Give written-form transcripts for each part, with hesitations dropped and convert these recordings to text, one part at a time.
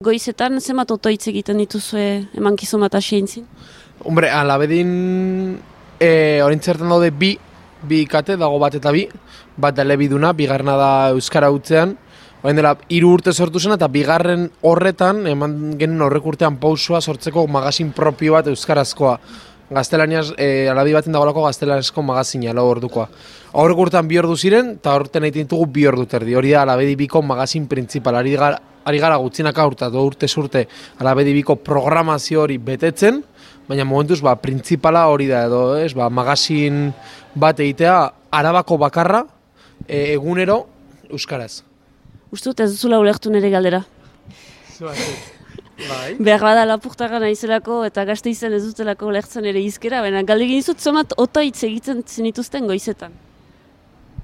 Goizetan, zenbat otoitz egiten dituzue emankizun bat hasi eintzin? Hombre, alabedin orintzertan daude bi ikate, dago bat eta bi. Bat da elebiduna, bigarrena da Euskara hutzean. Orain dela 3 urte sortu zen eta bigarren horretan, eman genuen horrek urtean pausua sortzeko magazin propio bat euskarazkoa. Gaztelaniaz, alabi baten dagoelako gaztelanezko magazina, lau ordukoa. Horrek urtean 2 ordu ziren, eta horretan egiten ditugu 2 ordu terdi. Hori da alabedi biko magazin printzipal. Ari gara gutxinaka urtez urte alabedi biko programazio hori betetzen, baina momentuz printzipala hori da edo, magazin bat egitea Arabako bakarra egunero euskaraz. Uste dut ez duzula ulertu nire galdera. Bai. Behar bada lapurtarra naizelako eta Gasteizen ez dutelako ulertzen ere izkera, baina galdegin dizut zomat otoitz egiten zenituzten goizetan.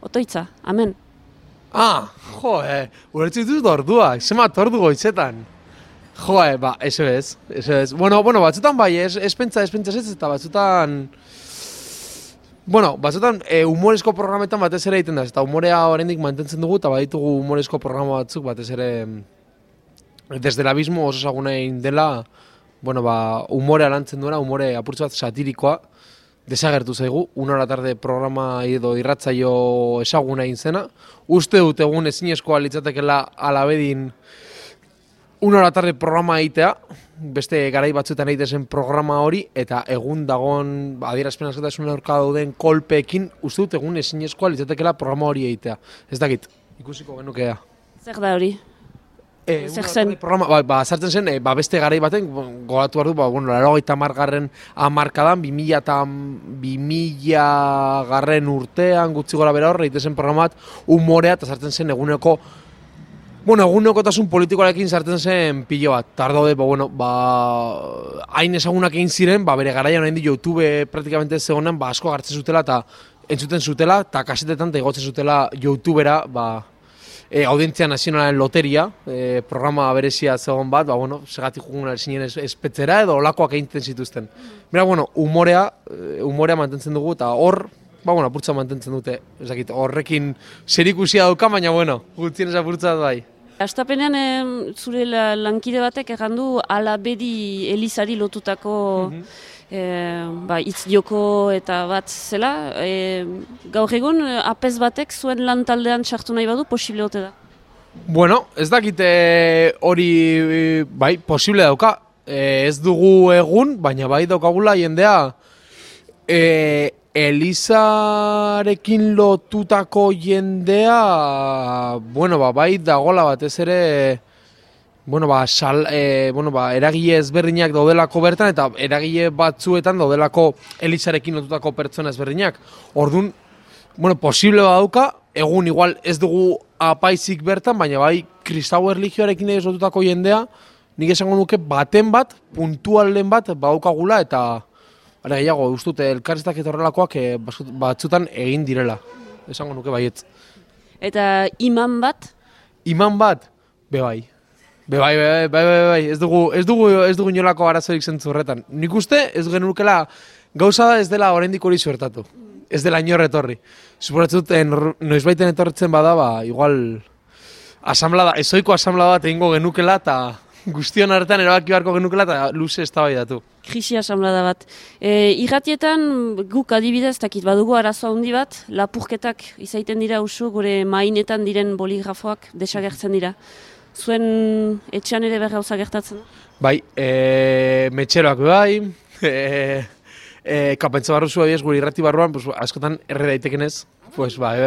Otoitza, amen. Ulertzen dituz orduak, zemat ordu goizetan. Eso ez. Bueno, batzutan bai, ez pentsa ez eta batzutan... batzutan humorezko programetan batez ere egiten da, eta humorea oraindik mantentzen dugu, eta baditugu humorezko programa batzuk batez ere... Desde el abismo oso ezaguna egin dela, humorea lantzen duena, humore apurtzu bat satirikoa, desagertu zaigu, 1 hora tarde programa edo irratzaio ezaguna egin zena. Uste dut egun ezinezkoa litzatekela alabedin 1 hora tarde programa egitea, beste garai batzuetan egiten zen programa hori, eta egun dagoen adierazpen askatasun aurka dauden kolpeekin, uste dut egun ezinezkoa litzatekela programa hori egitea. Ez dakit, ikusiko genukea. Zer da hori? Zer zen? Sartzen zen, beste garai baten, gogatu behar du, 80. hamarkadan, 2000 garren urtean, gutxi gora bera horre, egiten zen programa bat, humorea, eta sartzen zen egunekotasun politikoarekin sartzen zen pilo bat. Tardaude, hain ezagunak egin ziren, bere garaian orain di YouTube praktikamente zegoenan, asko gartzen zutela, eta entzuten zutela, eta kasetetan, eta igotzen zutela YouTubera, Audientzia Nazionalaren Loteria, programa berezia zegoen bat, segatik jugun zinen espetzera edo olakoak egiten zituzten. Humorea mantentzen dugu eta hor, apurtza mantentzen dute. Horrekin zerikusia dauka, baina gutxien ez apurtza bai. Astapenean zure lankide batek errandu alabedi elizari lotutako hitz joko eta bat zela. Gaur egun, apez batek zuen lan taldean sartu nahi badu, posible ote da? Ez dakite hori posible dauka. Ez dugu egun, baina bai daukagula jendea Elizarekin lotutako jendea bai dagola batez ere eragile ezberdinak daudelako bertan eta eragile batzuetan daudelako Elizarekin lotutako pertsona ezberdinak. Orduan, posible badauka, egun igual ez dugu apaizik bertan, baina bai kristau erlijioarekin ez lotutako jendea, nik esango nuke puntualen bat badaukagula eta gehiago, ustute, elkarriztak eta horrelakoak batzutan egin direla. Esango nuke baietz. Eta iman bat? Iman bat? Bai. Ez dugu inolako arazorik zentzu horretan. Nik uste, ez genukela, gauza da ez dela oraindik hori suertatu. Ez dela inor etorri. Suporatzen dut, noizbaiten etorretzen bada, igual, ezoiko asamblada bat egingo genukela, eta guztion hartan erabaki beharko genukela, eta luze eztabaidatu. Krisi asamblada bat. Irratietan guk adibidez, dakit badugu arazo handi bat, lapurketak izaiten dira usu, gure mainetan diren boligrafoak desagertzen dira. Zuen etxean ere behar gauza gertatzen? Bai, metxeroak bai, kapentza barru zua ez gure irrati barruan, askotan erre daiteken ez, bai,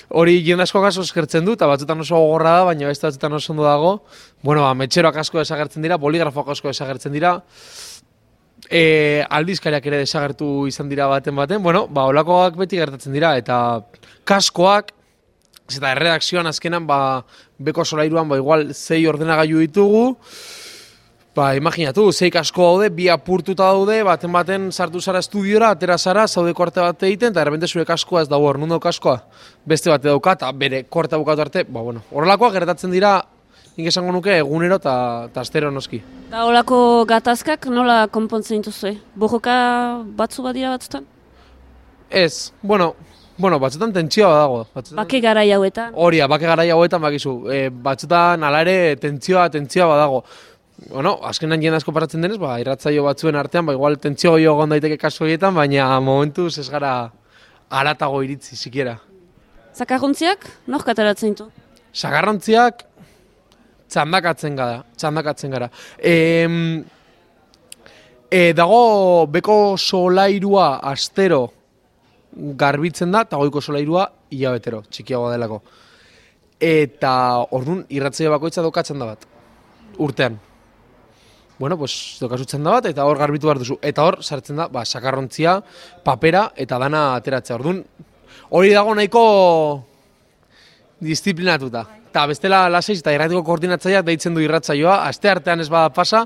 hori jende asko asko eskertzen du, eta batzutan oso gogorra da, baina beste batzutan oso ondo dago. Metxeroak asko desagertzen dira, boligrafoak asko desagertzen dira, aldizkariak ere desagertu izan dira baten, holakoak beti gertatzen dira, eta kaskoak, eta erredakzioan azkenan, beko solairuan, igual 6 ordenagailu ditugu, imaginatu, 6 kasko daude, 2 apurtuta daude, baten sartu zara estudiora, atera zara, zaude korte bat egiten, eta errepente zure kaskoa ez dago, nun kaskoa, beste bat dauka, eta bere korte bukatu arte, horrelakoak gertatzen dira, nik esango nuke egunero eta astero noski. Eta horrelako gatazkak nola konpontzen dituzue? Borroka batzu badira batzutan? Ez, Bueno, batzutan tentsioa badago. Bake garai hauetan. Horia, bake garai hauetan bakizu. Batzutan hala ere tentsioa badago. Bueno, azkenan jende asko paratzen denez, irratzaio batzuen artean, igual tentsio gehiago egon daiteke kasu horietan, baina momentuz ez gara haratago iritzi, sikiera. Zakarrontziak, nork ateratzen ditu? Zakarrontziak txandakatzen gara. Dago beko solairua astero garbitzen da, eta goiko solairua hilabetero, txikiagoa delako. Eta orduan irratzaio bakoitza dokatzen da bat, urtean. Bueno, pues dokazutzen da bat, eta hor garbitu behar duzu. Eta hor sartzen da, sakarrontzia, papera, eta dana ateratzea. Orduan, hori dago nahiko disiplinatuta. Eta bestela laseiz eta irratiko koordinatzaileak deitzen du irratzaioa, aste artean ez bada pasa,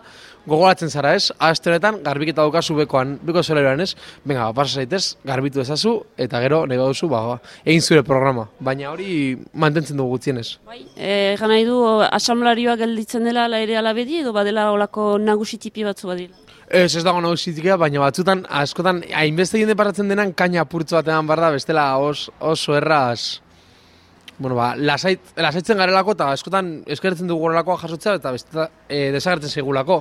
gogoratzen zara ez, aste honetan garbiketa daukazu beko solairuan ez, venga, pasa zaitez, garbitu ezazu, eta gero nahi baduzu, egin zure programa. Baina hori mantentzen dugu gutxienez. Egan nahi du, asamlarioa gelditzen dela ala ere alabedi, edo badela olako nagusitipi batzu badila? Ez dago nagusitikia, baina batzutan, askotan, hainbeste jende paratzen denan, kaina apurtzu batean barda, bestela oso erraz. Bueno, lasaitzen garelako eta askotan eskertzen dugu horrelakoa jasotzea eta desagertzen segulako.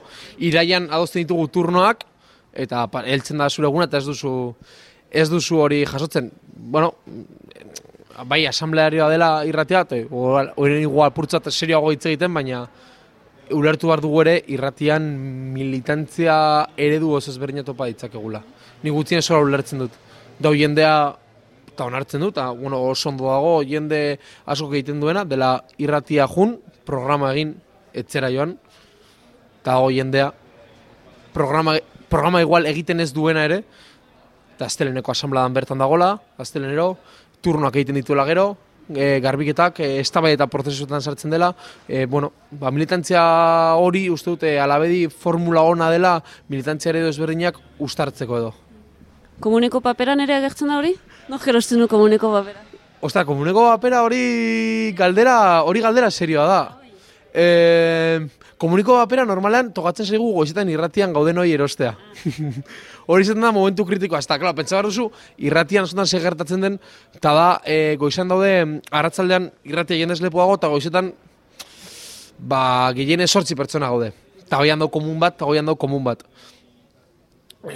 Iraian adosten ditugu turnoak eta heltzen da zure eguna eta ez duzu hori jasotzen. Bueno, bai, asamblearioa dela irratia, horren igual purtzat serioago hitz egiten, baina ulertu behar dugu ere irratian militantzia eredu oso ezberdina topa ditzakegula. Ni gutxien sola ulertzen dut. Dau jendea eta onartzen dut, oso ondo dago jende asko egiten duena, dela irratia jun, programa egin etzera joan, eta dago jendea programa igual egiten ez duena ere, eta azteleneko asambladan bertan dagola, aztelenero, turnoak egiten dituela gero, garbiketak, eztabaida eta prozesuetan sartzen dela, militantzia hori uste dute alabedi formula ona dela militantzia eredu ezberdinak ustartzeko edo. Komuneko paperan ere agertzen da hori? No, gerosten du komuneko papera. Ostra, komuneko papera hori galdera serioa da. Komuneko papera normalean tokatzen zaigu goizetan irratian gauden hori erostea. Hori izaten da momentu kritikoa. Eta, klar, pentsa behar duzu, irratian askotan segertatzen den, eta da, goizan daude, arratzaldean irratia jendez lepoago, eta goizetan, gehienez 8 pertsona gaude. Eta goian dau komun bat,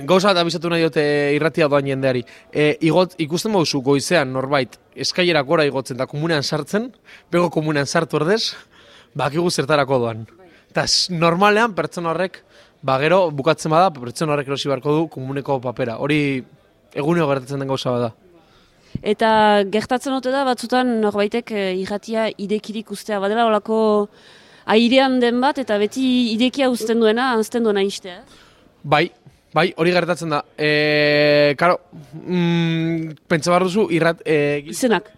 Gauza bat abizatu nahi dute irratia doan jendeari. Ikusten bauzu goizean norbait eskailerak gora igotzen eta komunean sartzen, bego komunean sartu ordez, bakigu zertarako doan. Eta normalean pertsona horrek, gero bukatzen bada, pertsona horrek erosi beharko du komuneko papera. Hori eguneo gertatzen den gauza bada. Eta gertatzen dute da batzutan norbaitek irratia idekirik ustea badela, olako airean den bat eta beti idekia uzten duena istea. Bai, hori gertatzen da. Karo, pentsa behar duzu, Izenak.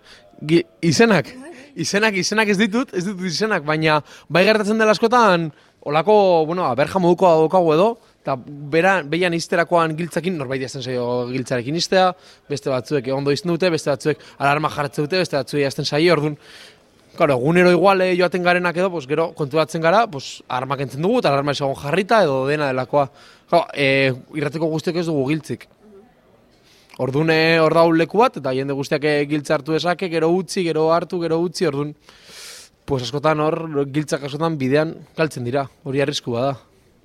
Izenak ez ditut izenak, baina bai gertatzen dela askotan, olako, berja modukoa daukagu edo, eta behian izterakoan giltzakin, norbait jazten zaio giltzarekin iztea, beste batzuek ondo izten dute, beste batzuek alarma jarratzen dute, beste batzuek jazten zaio, orduan, claro, egunero igual joaten garenak edo, gero konturatzen gara, alarmak entzen dugu, eta alarma esagon jarrita edo dena delakoa. Irrateko guztiak ez dugu giltzik. Orduan hor daun leku bat, eta jende guztiak giltza hartu esake, gero utzi, gero hartu, gero utzi, orduan, askotan hor, giltzak askotan bidean galtzen dira, hori arriskua da.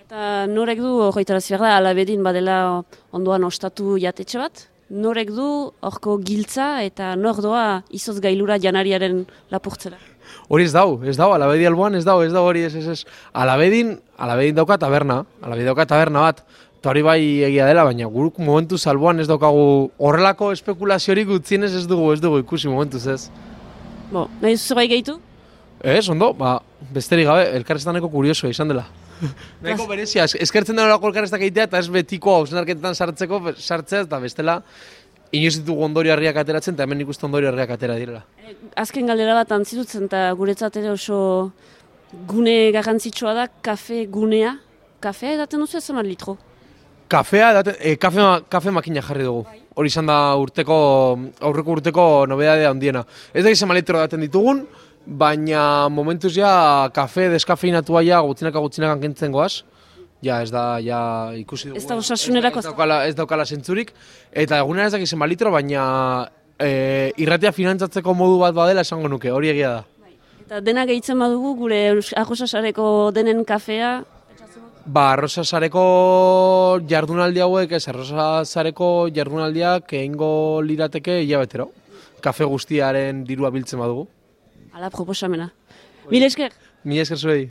Eta norek du, hogeitaraz behar da, alabedin badela ondoan ostatu jatetxe bat? Norek du horko giltza eta nor doa izoz gailura janariaren lapurtzera? Hori ez dau, alabedi alboan ez dau hori ez. Alabedin dauka taberna bat, eta hori bai egia dela, baina guruk momentuz alboan ez daukagu horrelako espekulaziorik utzienez ez dugu ikusi momentuz ez. Nahi zerbait gehitu? Ez, ondo, besterik gabe, elkarreztaneko kuriosoa izan dela. Nahiko berezia, eskertzen den horako elkarreztak egitea eta ez betiko hausnarketetan sartzea eta bestela inoiz ditugu ondorio harriak ateratzen eta hemen ikusten ondorio harriak atera direla. Azken galdera bat antzirutzen eta guretzat ere oso gune garrantzitsua da kafe gunea. Kafea edaten duzu ezamat litro? Kafe makina jarri dugu. Hori izan da aurreko urteko nobedadea handiena. Ez da izan litro edaten ditugun, baina momentuz ja kafe deskafeinatua ja gutxinaka kentzen goaz. Ja, ez da, ikusi dugu. Ez da osasunerako. Ez daukala zentzurik. Eta egunera ez dakizen litro, baina irratia finantzatzeko modu bat badela esango nuke, hori egia da. Eta dena gehitzen badugu, gure Arrosasareko denen kafea? Arrosasareko jardunaldi hauek, Arrosasareko jardunaldiak egingo lirateke hilabetero. Kafe guztiaren dirua biltzen badugu. Ala proposamena. Mil esker? Mil esker zuei.